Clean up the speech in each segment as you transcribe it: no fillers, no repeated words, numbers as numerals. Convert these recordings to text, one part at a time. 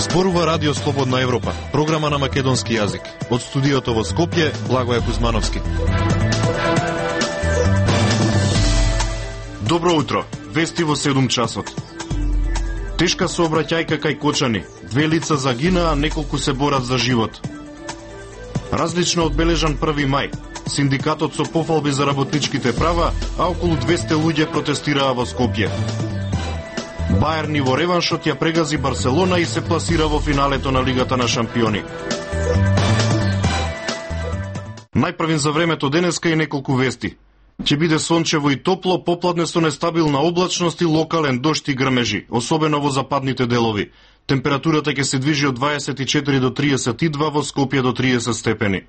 Зборува Радио Слободна Европа, програма на македонски јазик. Од студиото во Скопје, Благоје Кузмановски. Добро утро, вести во 7 часот. Тешка сообраќајка кај Кочани, 2 лица загинаа, неколку се борат за живот. Различно одбележан 1 мај. Синдикатот со пофалби за работничките права, а околу 200 луѓе протестираа во Скопје. Бајерн во реваншот ја прегази Барселона и се пласира во финалето на Лигата на шампиони. Најпрвин за времето денеска и неколку вести. Ќе биде сончево и топло, попладне со нестабилна облачност и локален дожд и грмежи, особено во западните делови. Температурата ќе се движи од 24 до 32, во Скопје до 30 степени.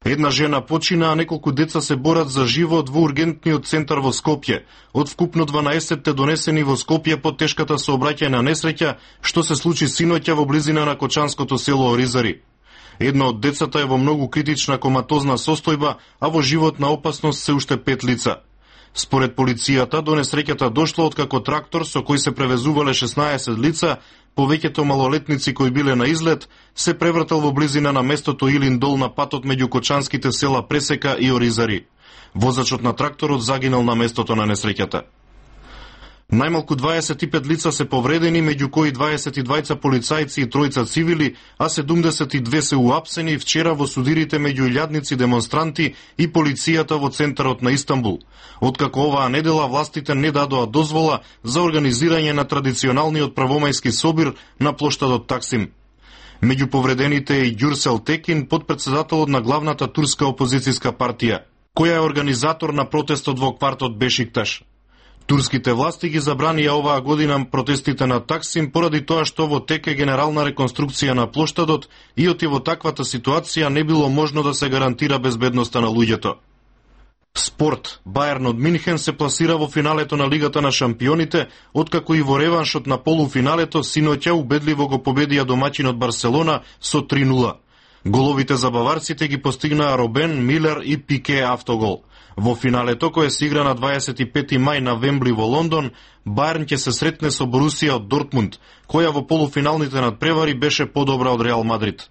Една жена почина, а неколку деца се борат за живот во ургентниот центар во Скопје. Од вкупно 12 донесени во Скопје по тешката сообраќајна несреќа, што се случи синоќа во близина на кочанското село Оризари. Едно од децата е во многу критична коматозна состојба, а во животна опасност се уште 5 лица. Според полицијата, до несреќата дошло откако трактор со кој се превезувале 16 лица, повеќето малолетници кои биле на излет, се превртел во близина на местото Илин дол на патот меѓу кочанските села Пресека и Оризари. Возачот на тракторот загинал на местото на несреќата. Најмалку 25 лица се повредени, меѓу кои 22 полицајци и 3 цивили, а 72 се уапсени вчера во судирите меѓу илјадници демонстранти и полицијата во центарот на Истанбул. Откако оваа недела властите не дадоа дозвола за организирање на традиционалниот правомајски собир на плоштадот Таксим. Меѓу повредените е и Ѓурсел Текин, подпредседателот на главната турска опозицијска партија, која е организатор на протестот во квартот Бешикташ. Турските власти ги забранија оваа година протестите на Таксим поради тоа што во тек е генерална реконструкција на плоштадот и во таквата ситуација не било можно да се гарантира безбедноста на луѓето. Спорт. Бајерн од Минхен се пласира во финалето на Лигата на шампионите, откако и во реваншот на полуфиналето синоќа убедливо го победија домаќинот Барселона со 3:0. Головите за баварците ги постигнаа Робен, Милер и Пике автогол. Во финалето, кое се игра на 25 мај на Вембли во Лондон, Бајерн ќе се сретне со Борусија од Дортмунд, која во полуфиналните надпревари беше подобра од Реал Мадрид.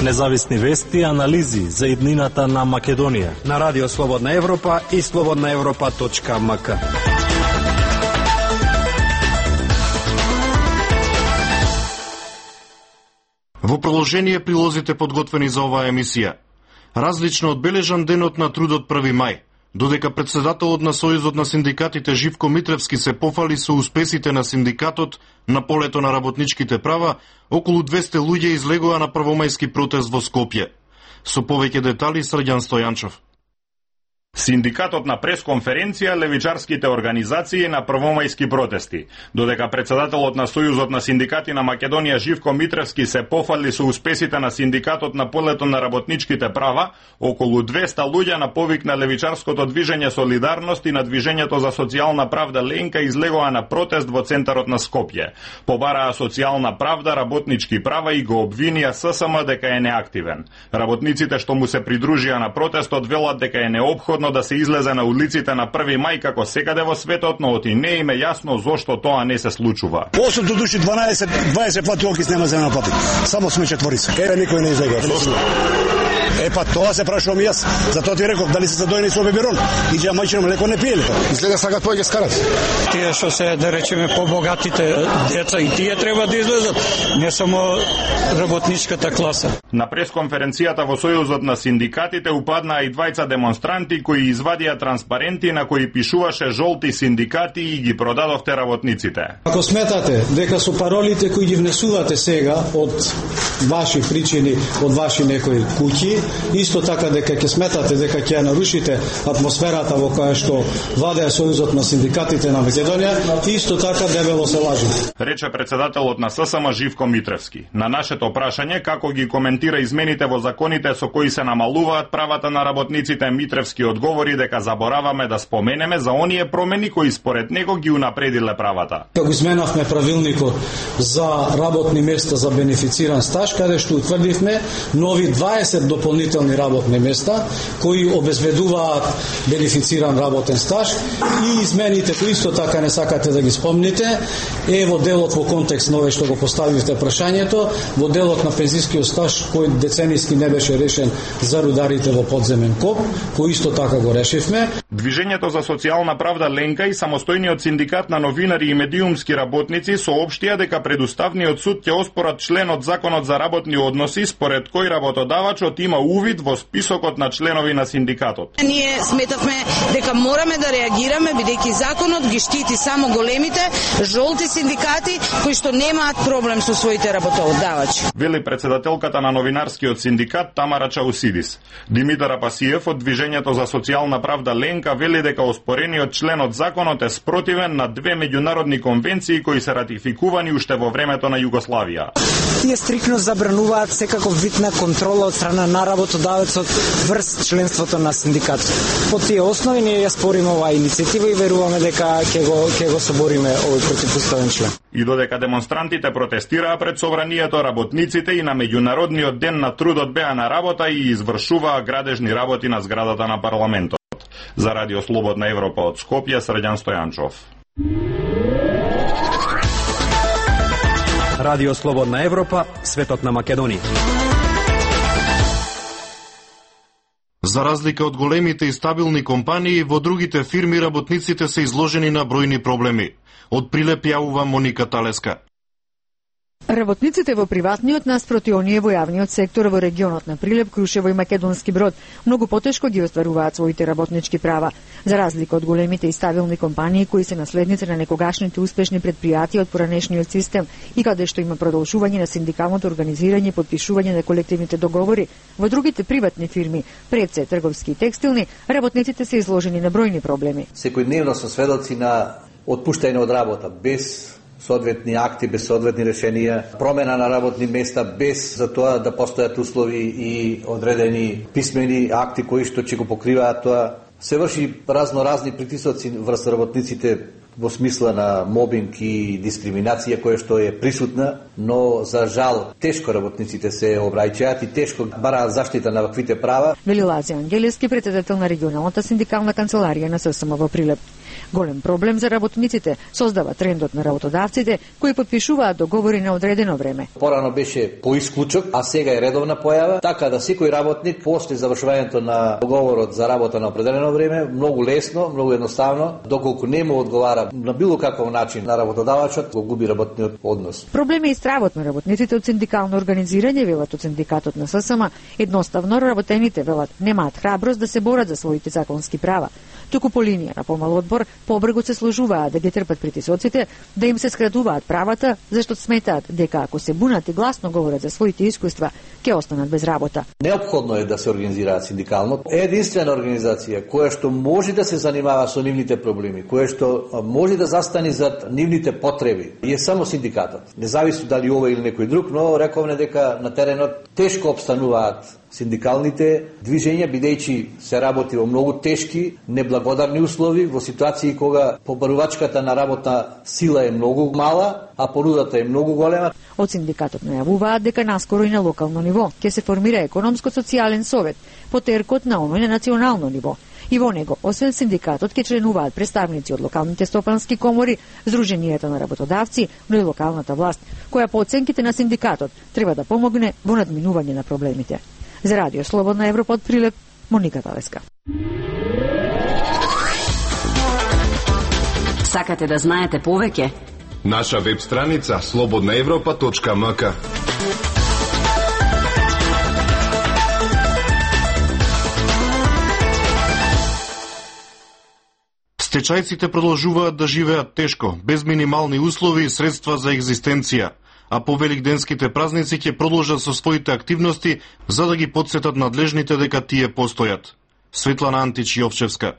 Независни вести и анализи за иднината на Македонија на Радио Слободна Европа и slobodnaevropa.mk. Во продолжение прилозите подготвени за оваа емисија. Различно одбележан денот на трудот 1 мај. Додека председателот на Сојузот на синдикатите Живко Митревски се пофали со успесите на синдикатот на полето на работничките права, околу 200 луѓе излегоа на првомајски протест во Скопје. Со повеќе детали Срđan Стојанчов. Синдикатот на пресконференција левичарските организации на првомајски протести. Додека председателот на Сојузот на синдикати на Македонија Живко Митревски се пофали со успесите на синдикатот на полето на работничките права, околу 200 луѓе на повик на левичарското движење Солидарност и на движењето за социјална правда Ленка излегоа на протест во центарот на Скопје. Побараа социјална правда, работнички права и го обвинија ССМ дека е неактивен. Работниците што му се придружија на протестот велат дека е неопходно да се излезе на улиците на 1 мај како секаде во светот, но оти не им е јасно зошто тоа не се случува. 8 души 20 пати окис нема за на пати. Само сме четворица. Еве никој не излега. Па тоа се прашувам јас. Затоа ти реков дали се задоени со беберон. Иđe мајчином леко не пиеле. Изгледа сакат повеќе скарат. Тие што се да речеме побогатите деца и тие треба да излезат, не само работничката класа. На пресконференцијата во Сојузот на синдикатите упаднаа и двајца демонстранти кои извадија транспаренти на кои пишуваше жолти синдикати и ги продадовте работниците. Ако сметате дека со паролите кои ги внесувате сега од ваши причини, од ваши некои куќи, исто така дека ќе сметате дека ќе ја нарушите атмосферата во која што владее Сојузот на синдикатите на Македонија, исто така дебело се лажите. Рече председателот на ССМ Живко Митревски. На нашето прашање како ги коментира измените во законите со кои се намалуваат правата на работниците, Митревски одговори дека забораваме да споменеме за оние промени кои според него ги унапредиле правата. Како изменавме правилникот за работни места за бенефициран стаж, каде што утврдивме нови 20 до дополнителни работни места кои обезбедуваат бенефициран работен стаж и измените кои исто така не сакате да ги спомните е во делот во контекст на овој што го поставивте прашањето, во делот на пензискиот стаж кој деценијски не беше решен за рударите во подземен коп, кој исто така го решивме. Движењето за социјална правда Ленка и самостојниот синдикат на новинари и медиумски работници соопштија дека предуставниот суд ќе оспорат член од Законот за работни односи според кој работодавачот има увид во списокот на членови на синдикатот. Ние сметавме дека мораме да реагираме бидејќи законот ги штити само големите жолти синдикати кои што немаат проблем со своите работодавачи. Вели председателката на новинарскиот синдикат Тамара Чаусидис. Димитар Апасиев од Движењето за социјална правда Ленка вели дека оспорениот член од законот е спротивен на две меѓународни конвенции кои се ратификувани уште во времето на Југославија. Тие стрикно забрануваат секаков вид на контрола од страна на работодавецот врз членството на синдикатот. По тие основи ние ја спориме оваа иницијатива и веруваме дека ќе го собориме овој противуставен член. И додека демонстрантите протестираа пред собранието, работниците и на меѓународниот ден на трудот беа на работа и извршуваа градежни работи на зградата на парламентот. За Радио Слободна Европа од Скопје, Срđan Стојанчов. Радио Слободна Европа, светот на Македонија. За разлика од големите и стабилни компании, во другите фирми работниците се изложени на бројни проблеми. Од Прилеп јавува Моника Талеска. Работниците во приватниот наспроти оние во јавниот сектор во регионот на Прилеп, Крушево и Македонски Брод многу потешко ги остваруваат своите работнички права, за разлика од големите и стабилни компании кои се наследници на некогашните успешни предпријатија од поранешниот систем и каде што има продолжување на синдикалното организирање и потпишување на колективните договори. Во другите приватни фирми, пред се трговски и текстилни, работниците се изложени на бројни проблеми. Секојдневно се сведоци на отпуштање од работа без соодветни акти, без соодветни решенија, промена на работни места без за тоа да постојат услови и одредени писмени акти кои што ќе го покриваат тоа. Се врши разни притисоци врз работниците во смисла на мобинг и дискриминација која што е присутна, но за жал тешко работниците се обраќаат и тешко бараат заштита на ваквите права. Вели Лази Ангелески, председател на регионалната синдикална канцеларија на ССМ во Прилеп. Голем проблем за работниците создава трендот на работодавците кои потпишуваат договори на одредено време. Порано беше по исклучок, а сега е редовна појава, така да секој работник после завршувањето на договорот за работа на определено време, многу лесно, многу едноставно, доколку не му одговара на било каков начин на работодавачот, го губи работниот однос. Проблеми и стравот на работниците од синдикално организирање, велат од синдикатот на ССМ, едноставно работените велат немаат храброст да се борат за своите законски права. Туку по линија на помал одбор, побргот се сложуваат да ги трпат притисоците, да им се скратуваат правата, зашто сметаат дека ако се бунат и гласно говорат за своите искуства, ќе останат без работа. Неопходно е да се организираат синдикално. Единствена организација која што може да се занимава со нивните проблеми, која што може да застани зад нивните потреби, е само синдикатот. Не зависи дали ова или некој друг, но рековме дека на теренот тешко обстануваат синдикалните движења, бидејќи се работи во многу тешки, неблагодарни услови, во ситуации кога побарувачката на работна сила е многу мала, а понудата е многу голема. Од синдикатот најавуваат дека наскоро и на локално ниво ќе се формира економско-социјален совет, потеркот на оној на национално ниво. И во него, освен синдикатот, ќе членуваат представници од локалните стопански комори, Сдруженијата на работодавци, но и локалната власт, која по оценките на синдикатот треба да помогне во надминување на проблемите. За Радио Слободна Европа од Прилеп, Моника Талеска. Сакате да знаете повеќе? Наша веб страница slobodnaevropa.mk. Стечајците продолжуваат да живеат тешко, без минимални услови и средства за екзистенција, а по великденските празници ќе продолжат со своите активности за да ги потсетат надлежните дека тие постојат. Светлана Антич Јовчевска.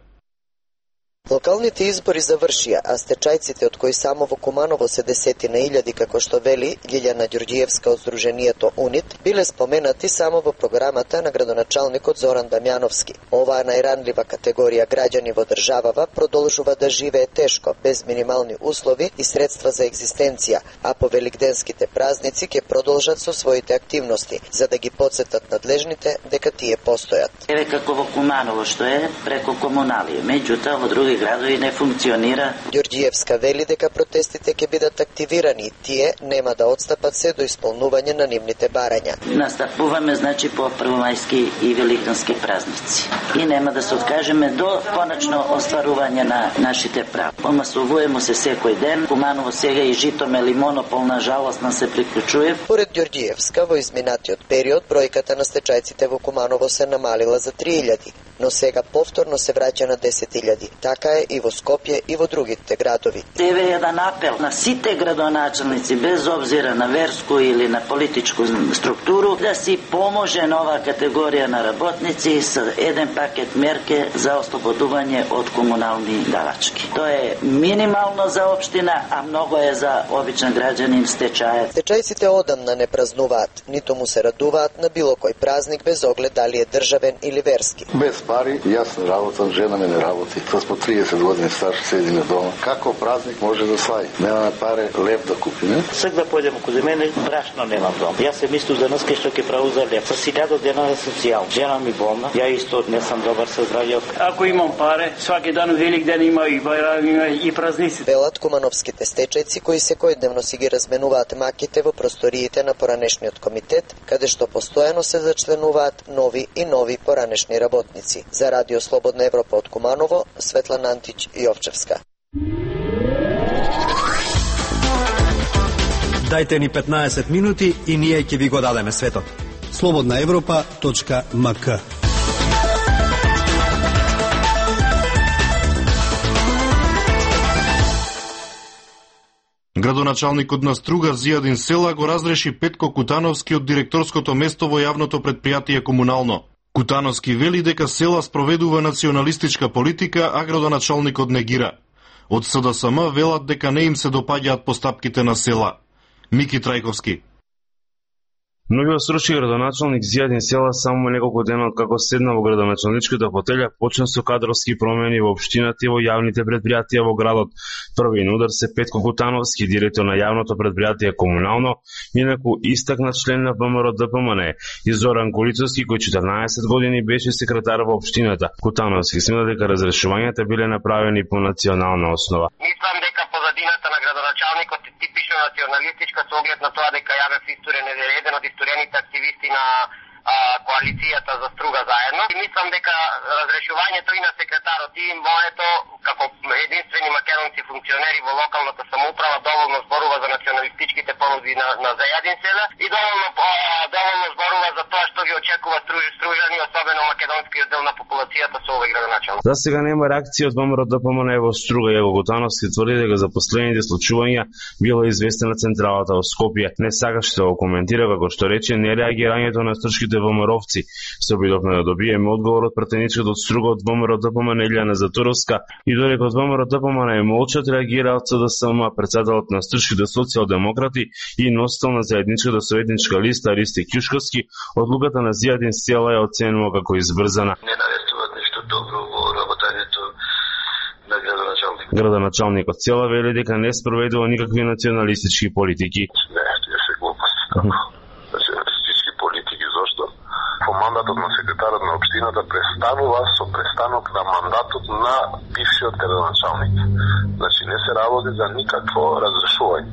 Локалните избори завршија, а стечајците од кои само во Куманово се десетина илјади, како што вели Лилјана Ѓурѓиевска од Сдруженијето УНИТ, биле споменати само во програмата на градоначалникот Зоран Дамјановски. Оваа најранлива категорија граѓани во државава продолжува да живее тешко, без минимални услови и средства за екзистенција, а по великденските празници ќе продолжат со своите активности, за да ги потсетат надлежните дека тие постојат. Еве како во Куманово што е преко комуналија, меѓутоа во други градови не функционира. Ѓурѓиевска вели дека протестите ќе бидат активирани и тие нема да отстапат се до исполнување на нивните барања. Настапуваме значи по првомајски и великденски празници и нема да се откажеме до конечно остварување на нашите права. Помасувуваме се секој ден. Куманово сега и Житомел монопол на жалост се приклучува. Поред Ѓурѓиевска, во изминатиот период бројката на стечајците во Куманово се намалила за 3000, но сега повторно се враќа на 10.000. Така е и во Скопје и во другите градови. Еве еден апел на сите градоначалници, без обзира на верску или на политичку структуру, да си поможе на оваа категорија на работници со еден пакет мерки за ослободување од комунални давачки. Тоа е минимално за општина, а многу е за обичен граѓанин стечаец. Стечајците одамна не празнуваат, ниту му се радуваат на било кој празник без оглед дали е државен или верски. Без пари, јас работам, жена ми не работи. По 30 години стар седиме дома. Како празник може да слави? Немаме пари лев да купиме. Сак да појдем каде мене, брашно немам дом. Јас се мислам за нас што ќе праву за лев. Со 1000 дена е социјално. Жена ми болна, ја исто не сум добар со здравје. Ако имам пари, сваки дан велик ден има и бајрам, има и празници. Велат кумановските стечајци кои секојдневно си ги разменуваат маките во просториите на поранешниот комитет, каде што постојано се зачленуваат нови и нови поранешни работници. За Радио Слободна Европа од Куманово, Светлана Антич Јовчевска. Дајте ни 15 минути и ние ќе ви го дадеме светот. slobodnaevropa.mk. Градоначалникот на Струга Зијадин Села го разреши Петко Кутановски од директорското место во јавното предпријатие Комунално. Кутановски вели дека Села спроведува националистичка политика, а градоначалникот негира. Од СДСМ велат дека не им се допаѓаат постапките на Села. Мики Трајковски. Новиот срочки градоначалник Зијадин Села само неколку дена како седна во градоначалничката фотелја почна со кадровски промени во општината и во јавните предпријатија во градот. Први на удар се Петко Кутановски, директор на јавното предпријатие Комунално, инаку истакнат член на ВМРО ДПМН, и Зоран Колицовски, кој 14 години беше секретар во општината. Кутановски смета дека разрешувањата биле направени по национална основа. Мислам дека позадината на градоначалникот е типично националистичка со оглед на тоа дека Јавев Исторен е еден од историјаните активисти на коалицијата за Струга заедно. И мислам дека разрешувањето и на секретарот и моето, како единствени македонски функционери во локалната самоуправа, доволно зборува за националистичките понуди на Зијадин Села и доволно зборува за тоа што ги очекува стружани, особено македонскиот дел на популацијата со овој градоначалник. За сега нема реакција од ВМРО ДПМН во Струга. Јако Кутановски тврди дека за последните случувања била известена централата во Скопје. Не сакаше да го коментира, како што рече, нереагирањето на стршките ВМРО-вци. Се обидовме да добиеме одговор од пратеничката од Струга од ВМРО ДПМН Илјана Затуровска и додека од ВМРО ДПМН молчат, реагираат СДСМ, председателот на стршките социјалдемократи и носител на заедничката советничка листа Ристи Ќушковски, одлуката на Зијадин Села ја оценува како избрзана. Не навестуваат ништо добро во работењето на градоначалник. Градоначалникот Села вели дека не спроведува никакви националистички политики. Не, тие се глупости. Националистички политики, зошто? Мандатот на секретарот на општината престанува со престанок на мандатот на бившиот градоначалник. Значи не се работи за никакво разрешување.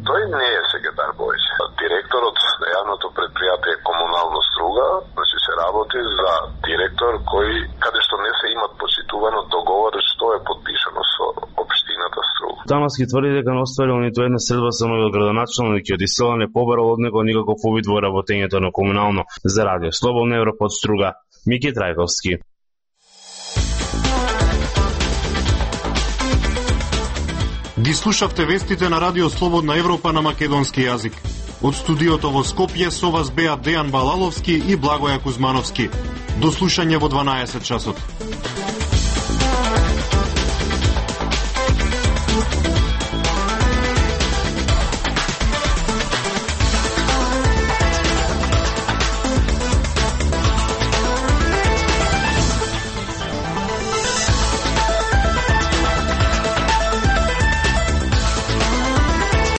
Тој не е секретар повеќе. Директорот на јавното предпријатие Комунално Струга, значи се работи за директор кој каде што не се имат почитувано договор што е подпишано со општината Струга. Кутановски тврди дека не остварил ниту една средба со новиот градоначалник и од Села не побарал од него никаков увид во работењето на Комунално. За Радио Слободна Европа од Струга, Мики Трајковски. Ги слушавте вестите на Радио Слободна Европа на македонски јазик. Од студиото во Скопје со вас беа Дејан Балаловски и Благоја Кузмановски. До слушање во 12 часот.